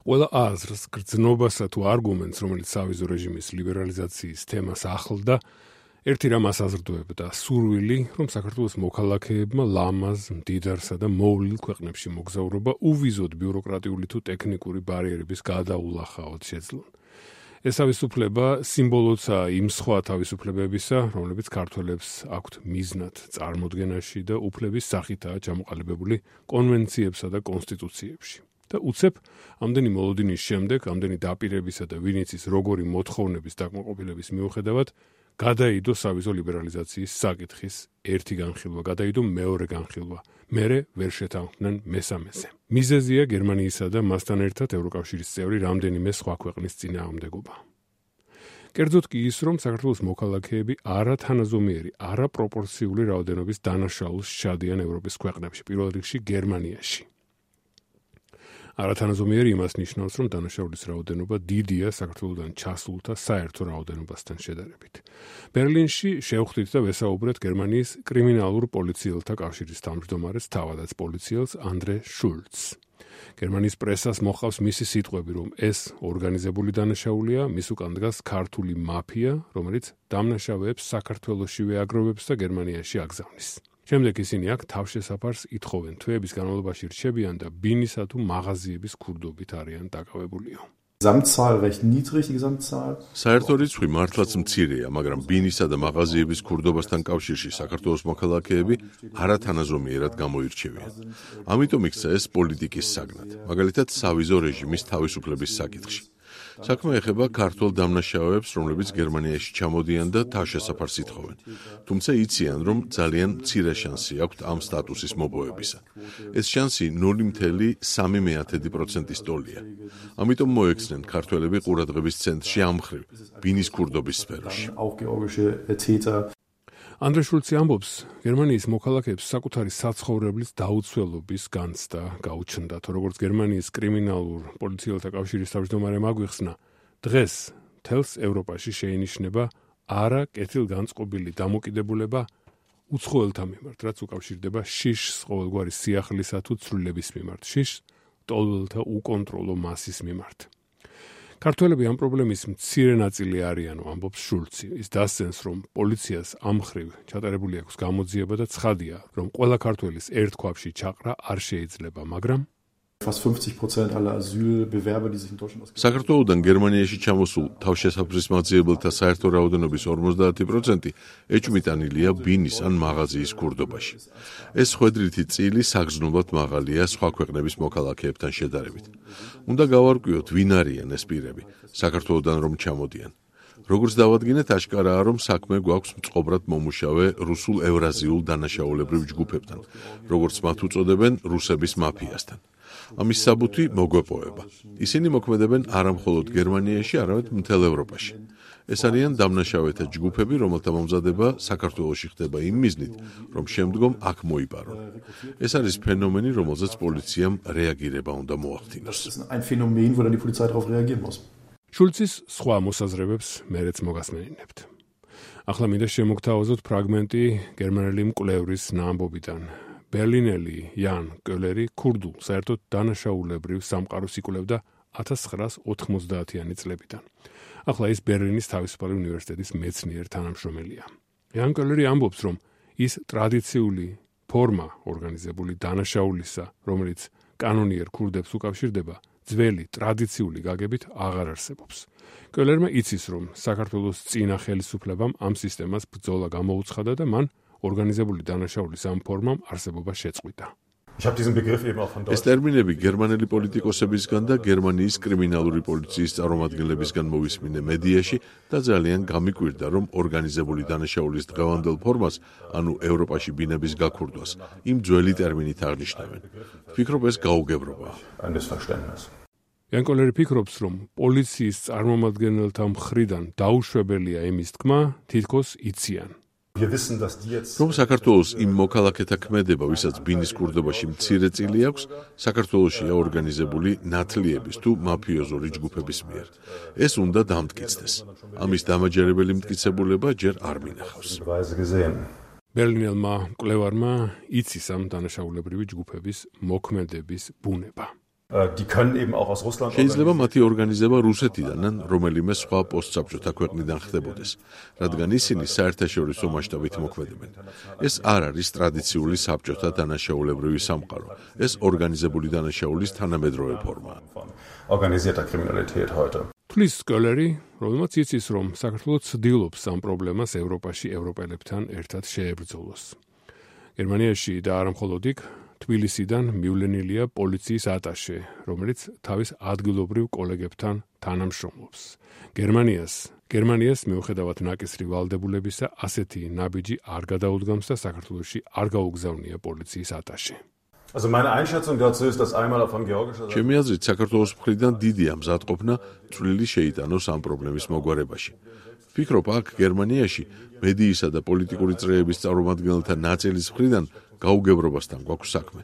ყველა აზრს, გრძნობასა თუ არგუმენტს, რომელიც სავიზო რეჟიმის ლიბერალიზაციის თემას ახლდა, ერთი რამ ასაზრდოებდა სურვილი, რომ საქართველოს მოქალაქეებმა ლამაზ, მდიდარსა და მოვლილ ქვეყნებში მოგზაურობა უვიზოდ ბიუროკრატიული თუ ტექნიკური ბარიერების გადაულახაოდ შეძლონ. ეს თავისუფლება სიმბოლოა იმ სხვა თავისუფლებებისა, რომლებიც ქართველებს აქვთ მიზნად წარმოდგენაში და უფლების სახითაა ჩამოყალიბებული კონვენციებსა და კონსტიტუციებში. და უცებ ამდენი მოლოდინის შემდეგ, ამდენი დაპირებისა და ვინც ის როგორი მოთხოვნების დაკმაყოფილების მიუხედავად, გადაიდო სავიზო ლიბერალიზაციის საკითხის ერთი განხილვა, გადაიდო მეორე განხილვა, მერე ვერ შეთანხმდნენ მესამეზე. მიზეზია გერმანიისა და მასთან ერთად ევროკავშირის წევრი რამდენიმე სხვა ქვეყნის წინააღმდეგობა. კერძოდ კი ის, რომ საქართველოს მოქალაქეები არათანაზომიერი, არაპროპორციული რაოდენობის დანაშაულს სჩადიან ევროპის ქვეყნებში, პირველ რიგში გერმანიაში. არათანაზომიერი იმას ნიშნავს, რომ დანაშაულის რაოდენობა დიდია საქართველოდან ჩასულთა საერთო რაოდენობასთან შედარებით. ბერლინში შევხვდით და ვესაუბრეთ გერმანიის კრიმინალურ პოლიციელთა კავშირის თავმჯდომარეს თავადაც პოლიციელს ანდრე შულცს. გერმანიის პრესას მოჰყავს მისი სიტყვები, რომ ეს ორგანიზებული დანაშაულია, მის უკან დგას ქართული მაფია, რომელიც დამნაშავეებს საქართველოშივე აგროვებს და გერმანიაში აგზავნის. შემდეგ ისინი აქ თავშესაფარს ითხოვენ, თვეების განმავლობაში რჩებიან და ბინისა თუ მაღაზიების ქურდობით არიან დაკავებულიო. საერთო რიცხვი მართლაც მცირეა, მაგრამ ბინისა და მაღაზიების ქურდობასთან კავშირში საქართველოს მოქალაქეები არათანაზომიერად გამოირჩევიან. ამიტომ იქცა ეს პოლიტიკის საგნად, მაგალითად სავიზო რეჟიმის თავისუფლების საკითხში. საქმე ეხება ქართულ დამნაშავეებს, რომლებიც გერმანიაში ჩამოდიან და თავშესაფარს ითხოვენ. თუმცა იციან, რომ ძალიან მცირე შანსი აქვთ ამ სტატუსის მოპოვებისა. ეს შანსი 0,3% ტოლია. ამიტომ მოექცნენ ქართველები ყურადღების ცენტრში ამ მხრივ, ბინის ქურდობის სფეროში. ანდრე შულცი ამბობს, გერმანიის მოქალაქეებს საკუთარი საცხოვრებლის დაუცველობის განცდა გაუჩნდათ, როგორც გერმანიის კრიმინალურ პოლიციელთა კავშირის თავმჯდომარემ აგვიხსნა, დღეს მთელს ევროპაში შეინიშნება არა კეთილგანწყობილი დამოკიდებულება უცხოელთა მიმართ, რაც უკავშირდება შიშს ყოველგვარი სიახლისა თუ ცვლილების მიმართ, შიშს ტოლველთა უკონტროლო მასის მიმართ. ქართველები ამ პრობლემის მცირე ნაწილი არიანო, ამბობს შულცი. ის დასცენს, რომ პოლიციას ამ მხრივ ჩატარებული აქვს გამოძიება და ცხადია, რომ ყველა ქართველის ერთ ქვაბში ჩაყრა არ შეიძლება, მაგრამ საქართველოდან გერმანიაში ჩამოსულ თავშესაფრის მაძიებელთა საერთო რაოდენობის 50% ეჭვმიტანილია ბინის ან მაღაზიის ქურდობაში. ეს ხვედრითი წილი საგრძნობლად მაღალია სხვა ქვეყნების მოქალაქეებთან შედარებით. უნდა გავარკვიოთ, ვინ არიან ეს პირები, საქართველოდან რომ ჩამოდიან. როგორც დავადგინეთ, აშკარაა, რომ საქმე გვაქვს მწყობრად მომუშავე რუსულ ევრაზიულ დანაშაულებრივ ჯგუფებთან, როგორც მათ უწოდებენ რუსების მაფიასთან. ამის საბუთი მოგვეპოვება. ისინი მოქმედებენ არა მხოლოდ გერმანიაში, არამედ მთელ ევროპაში. ეს არიან დამნაშავეთა ჯგუფები, რომელთა მომზადება საქართველოში ხდება იმ მიზნით, რომ შემდგომ აქ მოიპარონ. ეს არის ფენომენი, რომელზეც პოლიციამ რეაგირება უნდა მოახდინოს. შულცის სხვა მოსაზრებებს მერეც მოგასმენინებთ. ახლა მინდა შემოგთავაზოთ ფრაგმენტი გერმანელი მკვლევრის ნაამბობიდან. ბერლინელი იან კოლერი ქურდულ საერთოდ დანაშაულებრივ სამყაროს იკვლევდა 1990-იანი წლებიდან. ახლა ის ბერლინის თავისუფალი უნივერსიტეტის მეცნიერ თანამშრომელია. იან კოლერი ამბობს, რომ ის ტრადიციული ფორმა ორგანიზებული დანაშაულისა, რომელიც კანონიერ ქურდებს უკავშირდება, ძველი ტრადიციული გაგებით აღარ არსებობს. კოლერმა იცის, რომ საქართველოს წინა ხელისუფლებამ ამ სისტემას ბრძოლა გამოუცხადა და მან ორგანიზებული დანაშაულის ამ ფორმამ არსებობა შეწყვიტა. ეს ტერმინები გერმანელი პოლიტიკოსებისგან და გერმანიის კრიმინალური პოლიციის წარმომადგენლებისგან მოვისმინე მედიაში და ძალიან გამიკვირდა, რომ ორგანიზებული დანაშაულის დღევანდელ ფორმას, ანუ ევროპაში ბინების გაქურდვას, იმ ძველი ტერმინით აღნიშნავენ. ვფიქრობ, ეს გაუგებრობაა. იან კოლერი ფიქრობს, რომ პოლიციის წარმომადგენელთა მხრიდან დაუშვებელია იმის თქმა, თითქოს იციან. რომ საქართველოს იმ მოქალაქეთა ქმედება, ვისაც ბინის ქურდობაში მცირე წილი აქვს, საქართველოშია ორგანიზებული ნათლიების თუ მაფიოზური ჯგუფების მიერ. ეს უნდა დამტკიცდეს. ამის დამაჯერებელი მტკიცებულება ჯერ არ მინახავს. ბერლინელმა მკვლევარმა იცის ამ დანაშაულებრივი ჯგუფების მოქმედების ბუნება. შეიძლება მათი ორგანიზება რუსეთიდან ან რომელიმე სხვა პოსტსაბჭოთა ქვეყნიდან ხდებოდეს, რადგან ისინი საერთაშორისო მასშტაბით მოქმედებენ. ეს არ არის ტრადიციული საბჭოთა დანაშაულებრივი სამყარო, ეს ორგანიზებული დანაშაულის თანამედროვე ფორმაა. თulis სკოლერი, რომელმაც იცის, რომ საქართველოს ცდილობს ამ პრობლემას ევროპაში ევროპელებთან ერთად შეებრძოლოს. გერმანიაში და არა მხოლოდ იქ, თბილისიდან მივლენილია პოლიციის ატაშე, რომელიც თავის ადგილობრივ კოლეგებთან თანამშრომლობს. გერმანიას მიუხედავად ნაკისრი ვალდებულებისა, ასეთი ნაბიჯი არ გადაუდგამს და საქართველოში არ გაუგზავნია პოლიციის ატაშე. ჩემი აზრით, საქართველოს მხრიდან დიდია მზადყოფნა წვლილი შეიტანოს ამ პრობლემის მოგვარებაში. ვფიქრობ, აქ გერმანიაში მედიისა და პოლიტიკური წრეების წარმომადგენელთა ნაწილის მხრიდან გაუგებრობასთან გვაქვს საქმე.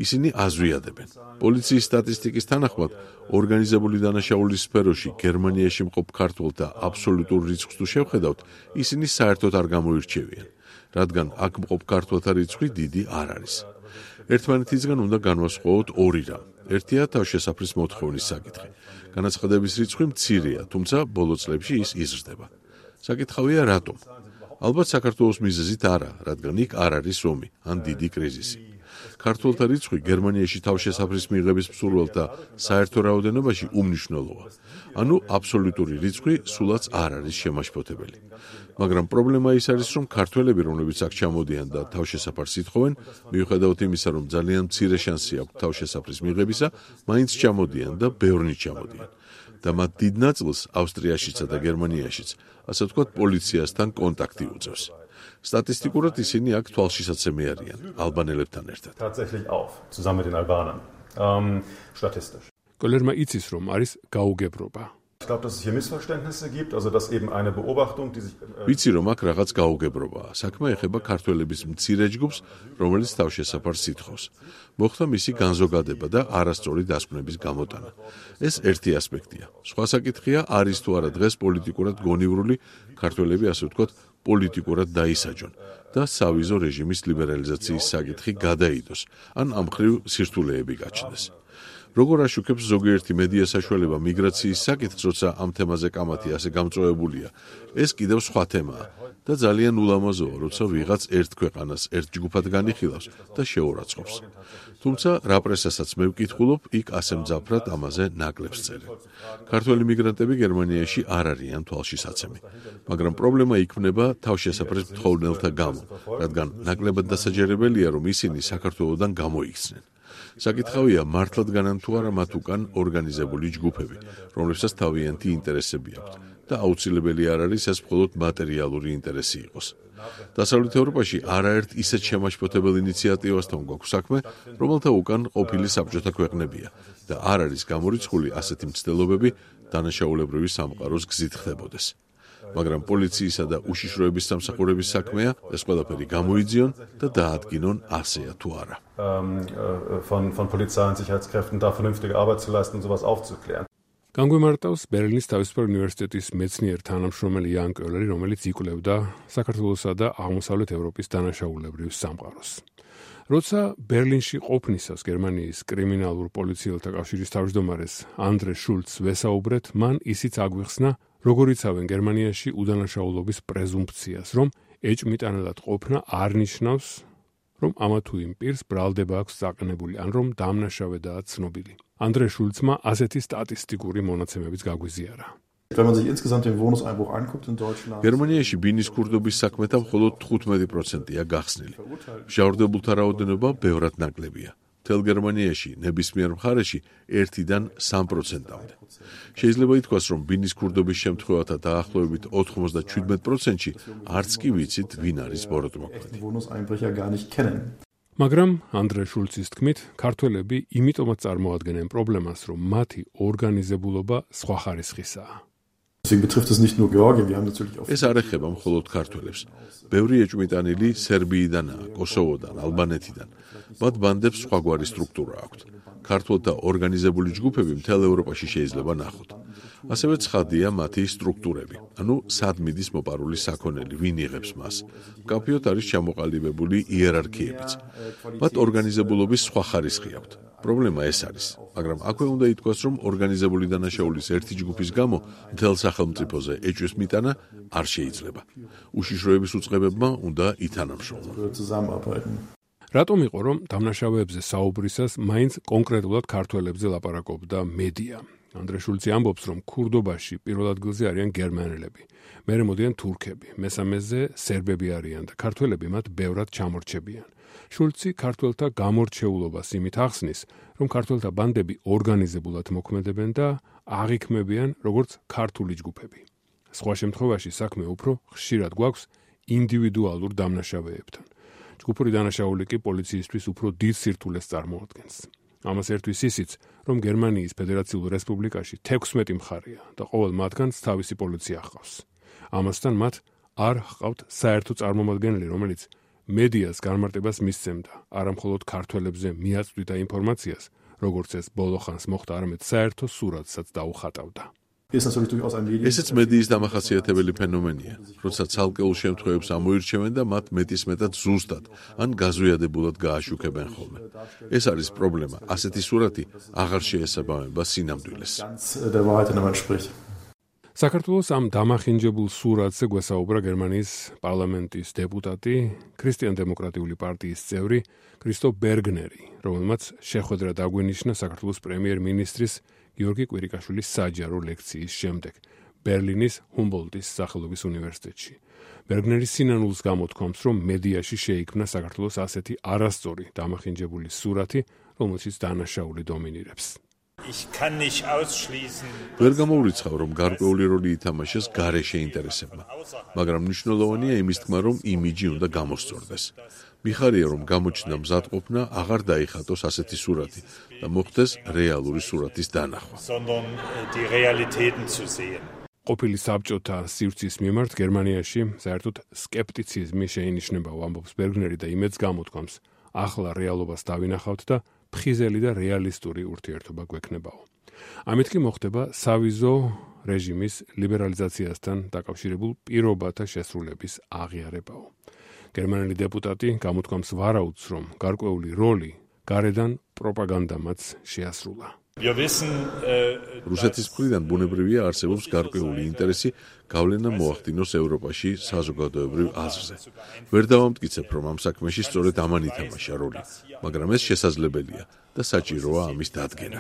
ისინი აზვიადებენ. პოლიციის სტატისტიკის თანახმად, ორგანიზებული დანაშაულის სფეროში გერმანიაში მყოფ ქართველთა აბსოლუტურ რიცხვს თუ შევხედავთ, ისინი საერთოდ არ გამოირჩევიან, რადგან აქ მყოფ ქართველთა რიცხვი დიდი არ არის. ერთმანეთისგან უნდა განვასხვაოთ ორი რამ. ერთია თავშესაფრის მოთხოვნის საკითხი. განაცხადების რიცხვი მცირეა, თუმცა ბოლო წლებში ის იზრდება. საკითხავია რატომ? ალბათ საქართველოს მიზეზით არა, რადგან იქ არ არის ომი ან დიდი კრიზისი. ქართველთა რიცხვი გერმანიაში თავშესაფრის მიღების მსურველთა საერთო რაოდენობაში უმნიშვნელოა. ანუ აბსოლუტური რიცხვი სულაც არ არის შემაშფოთებელი. მაგრამ პრობლემა ის არის, რომ ქართველები, რომლებიც აქ ჩამოდიან და თავშესაფარს ითხოვენ, მიუხედავად იმისა, რომ ძალიან მცირე შანსი აქვს თავშესაფრის მიღებისა, მაინც ჩამოდიან და ბევრნი ჩამოდიან. და მათ დიდ ნაწილს ავსტრიაშიცა და გერმანიაშიც, ასე ვთქვათ, პოლიციასთან კონტაქტი უწევს. სტატისტიკურად ისინი აქ თვალშისაცემი არიან ალბანელებთან ერთად. კოლერმა იცის, რომ არის გაუგებრობა. ვიცი, რომ აქ რაღაც გაუგებრობაა. საქმე ეხება ქართველების მცირე ჯგუფს, რომელიც თავშესაფარს ითხოვს. მოხდა მისი განზოგადება და არასწორი დასკვნების გამოტანა. ეს ერთი ასპექტია. სხვა საკითხია, არის თუ არა დღეს პოლიტიკურად გონივრული ქართველები, ასე ვთქვათ, პოლიტიკურად დაისაჯონ და სავიზო რეჟიმის ლიბერალიზაციის საკითხი გადაიდოს, ან ამ მხრივ სირთულეები გაჩნდეს. როგორ აშუქებს ზოგიერთი მედია საშუალება მიგრაციის საკითხს, როცა ამ თემაზე კამათი ასე გამწვავებულია, ეს კიდევ სხვა თემაა და ძალიან ულამაზოა, როცა ვიღაც ერთ ქვეყანას ერთ ჯგუფად განიხილავს და შეურაცხყოფს. თუმცა რა პრესასაც მე ვკითხულობ, იქ ასე მძაფრად ამაზე ნაკლებს წერენ. ქართველი მიგრანტები გერმანიაში არ არიან თვალშისაცემი, მაგრამ პრობლემა იქმნება თავშესაფრის მთხოვნელთა გამო, რადგან ნაკლებად დასაჯერებელია, რომ ისინი საქართველოდან გამოიქცნენ. საკითხავია, მართლად განან თუ არა მათ უკან ორგანიზებული ჯგუფები, რომლებსაც თავიანთი ინტერესები აქვთ და აუცილებელი არ არის ეს მხოლოდ მატერიალური ინტერესი იყოს. დასავლეთ ევროპაში არაერთ ისეთ შემაშფოთებელ ინიციატივასთან გვაქვს საქმე, რომელთა უკან ყოფილი საბჭოთა ქვეყნებია და არ არის გამორიცხული ასეთი მცდელობები დანაშაულებრივი სამყაროს გზით ხდებოდეს. მაგრამ პოლიციისა და უშიშროების სამსახურების საქმეა ეს ყველაფერი გამოიძიონ და დაადგინონ ასეა თუ არა. von Polizei und Sicherheitskräften da vernünftige Arbeit zu leisten und sowas aufzuklären. განგვიმარტავს ბერლინის თავისუფლ უნივერსიტეტის მეცნიერ თანამშრომელი იან კოლერი, რომელიც იკვლევდა საქართველოსა და აღმოსავლეთ ევროპის დანაშაულებრივ სამყაროს. როცა ბერლინში ყოფნისას გერმანიის კრიმინალურ პოლიციელთა კავშირის თავმჯდომარეს ანდრე შულცს ვესაუბრეთ, მან ისიც აგვიხსნა, როგორ იცავენ გერმანიაში უდანაშაულობის პრეზუმფციას, რომ ეჭვმიტანელად ყოფნა არ ნიშნავს, რომ ამა თუ იმ პირს ბრალდება აქვს წაყენებული, ან რომ დამნაშავედაა ცნობილი. ანდრე შულცმა ასეთი სტატისტიკური მონაცემებიც გაგვიზიარა. გერმანიაში ბინის ქურდობის საქმეთა მხოლოდ 15%-ია გახსნილი. მჟავრდებულთა რაოდენობა ბევრად ნაკლებია. მთელ გერმანიაში ნებისმიერ მხარეში 1-დან 3%-მდე. შეიძლება ითქვას, რომ ბინის ქურდობის შემთხვევათა დაახლოებით 97%-ში არც კი ვიცით, ვინ არის ბოროტმოქმედი. მაგრამ ანდრე შულცის თქმით, ქართველები იმიტომაც წარმოადგენენ პრობლემას, რომ მათი ორგანიზებულობა სხვა ხარისხისაა. ეს არ ეხება მხოლოდ ქართველებს. ბევრი ეჭვმიტანილი სერბიიდანაა, კოსოვოდან, ალბანეთიდან. მათ ბანდებს სხვაგვარი სტრუქტურა აქვთ. ქართველთა ორგანიზებული ჯგუფები მთელ ევროპაში შეიძლება ნახოთ. ასევე ცხადია მათი სტრუქტურები, ანუ სად მიდის მოპარული საქონელი, ვინ იღებს მას. მკაფიოდ არის ჩამოყალიბებული იერარქიებიც. მათ ორგანიზებულობის სხვა ხარისხი აქვთ. პრობლემა ეს არის, მაგრამ აქვე უნდა ითქვას, რომ ორგანიზებული დანაშაულის ერთი ჯგუფის გამო მთელ სახელმწიფოზე ეჭვის მიტანა არ შეიძლება. უშიშროების უწყებებმა უნდა ითანამშრომლონ. რატომ იყო, რომ დამნაშავეებზე საუბრისას მაინც კონკრეტულად ქართველებზე ლაპარაკობდა მედია? ანდრე შულცი ამბობს, რომ ქურდობაში პირველ ადგილზე არიან გერმანელები, მერე მოდიან თურქები, მესამეზე სერბები არიან და ქართველები მათ ბევრად ჩამორჩებიან. შულცი ქართველთა გამორჩეულობას იმით ახსნის, რომ ქართველთა ბანდები ორგანიზებულად მოქმედებენ და აღიქმებიან როგორც ქართული ჯგუფები. სხვა შემთხვევაში საქმე უფრო ხშირად გვაქვს ინდივიდუალურ დამნაშავეებთან. ჯგუფური დანაშაული კი პოლიციისთვის უფრო დიდ სირთულეს წარმოადგენს. ამას ერთვის ისიც, რომ გერმანიის ფედერაციულ რესპუბლიკაში 16 მხარეა და ყოველ მათგანს თავისი პოლიცია ჰყავს. ამასთან მათ არ ჰყავთ საერთო წარმომადგენელი, რომელიც მედიას განმარტებას მისცემდა, არამხოლოდ ქართველებზე მიაწვდიდა ინფორმაციას, როგორც ეს ბოლო ხანს მოხდა, არამედ საერთო სურათსაც დაუხატავდა. ესეც მედიის დამახასიათებელი ფენომენია, როცა ცალკეულ შემთხვევებს ამოირჩევენ და მათ მეტისმეტად ზუსტად ან გაზვიადებულად გააშუქებენ ხოლმე. ეს არის პრობლემა, ასეთი სურათი აღარ შეესაბამება სინამდვილეს. საქართველოს ამ დამახინჯებულ სურათზე გვესაუბრა გერმანიის პარლამენტის დეპუტატი, ქრისტიან-დემოკრატიული პარტიის წევრი კრისტოფ ბერგნერი, რომელმაც შეხვედრა დაგვინიშნა საქართველოს პრემიერ-მინისტრის გიორგი კვირიკაშვილის საჯარო ლექციის შემდეგ ბერლინის ჰუმბოლდტის სახელობის უნივერსიტეტში. ბერგნერის სინანულს გამოთქვამს, რომ მედიაში შეიქმნა საქართველოს ასეთი არასწორი დამახინჯებული სურათი, რომელშიც დანაშაული დომინირებს. ვერ გამოურიცხავ, რომ გარკვეული როლი ითამაშეს გარეშე ინტერესებმა, მაგრამ მნიშვნელოვანია იმის თქმა, რომ იმიჯი უნდა გამოსწორდეს. მიხარია, რომ გამოჩნდა მზადყოფნა აღარ დაიხატოს ასეთი სურათი და მოხდეს რეალური სურათის დანახვა. ყოფილი საბჭოთა სივრცის მიმართ გერმანიაში საერთოდ სკეპტიციზმი შეინიშნებაო, ამბობს ბერგნერი და იმედს გამოთქვამს, ახლა რეალობას დავინახავთ და ფხიზელი და რეალისტური ურთიერთობა გვექნებაო. ამით კი მოხდება სავიზო რეჟიმის ლიბერალიზაციასთან დაკავშირებულ პირობათა შესრულების აღიარებაო. გერმანელი დეპუტატი გამოთქვამს ვარაუდს, რომ გარკვეული როლი გარედან პროპაგანდამაც შეასრულა. რუსეთის მხრიდან ბუნებრივია არსებობს გარკვეული ინტერესი გავლენა მოახდინოს ევროპაში საზოგადოებრივ აზრზე. ვერ დავამტკიცებ, რომ ამ საქმეში სწორედ ამან ითამაშა როლი, მაგრამ ეს შესაძლებელია და საჭიროა ამის დადგენა.